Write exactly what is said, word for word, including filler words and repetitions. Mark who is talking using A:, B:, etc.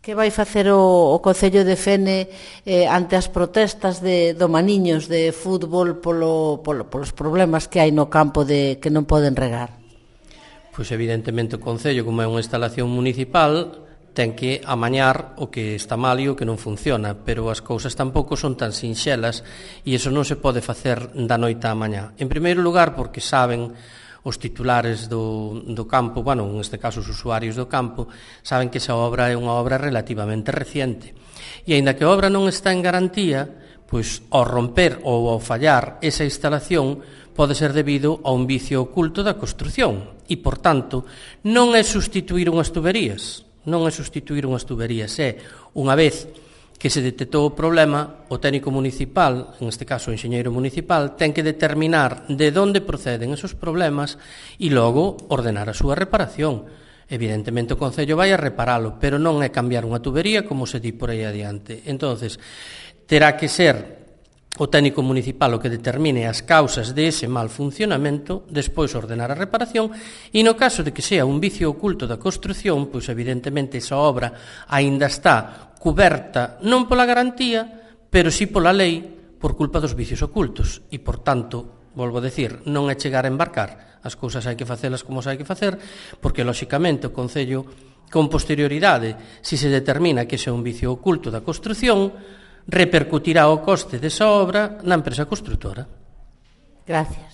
A: Que vai facer o, o Concello de Fene eh, ante as protestas de, do Maniños de fútbol polo, polo, polos problemas que hai no campo de que non poden regar?
B: Pois evidentemente o Concello, como é unha instalación municipal, ten que amañar o que está mal e o que non funciona, pero as cousas tampouco son tan sinxelas e iso non se pode facer da noite á mañá. En primeiro lugar, porque saben os titulares do, do campo, bueno, neste caso os usuarios do campo, saben que esa obra é unha obra relativamente reciente. E aínda que a obra non está en garantía, pois ao romper ou ao fallar esa instalación pode ser debido a un vicio oculto da construción e, por tanto, non é sustituir unhas tuberías, non é sustituir unhas tuberías, é unha vez que se detectou o problema, o técnico municipal, en este caso o enxeñeiro municipal, ten que determinar de onde proceden esos problemas e logo ordenar a súa reparación. Evidentemente o Concello vai a reparalo, pero non é cambiar unha tubería como se di por aí adiante. Entonces, terá que ser o técnico municipal o que determine as causas de ese mal funcionamento, despois ordenar a reparación, e no caso de que sea un vicio oculto da construción, pois evidentemente esa obra aínda está cuberta non pola garantía, pero sí pola lei por culpa dos vicios ocultos. E, por tanto, volvo a decir, non é chegar a embarcar. As cousas hai que facelas como se hai que facer, porque, lóxicamente, o Concello, con posterioridade, se se determina que ese é un vicio oculto da construción, repercutirá o coste desa obra na empresa construtora.
A: Gracias.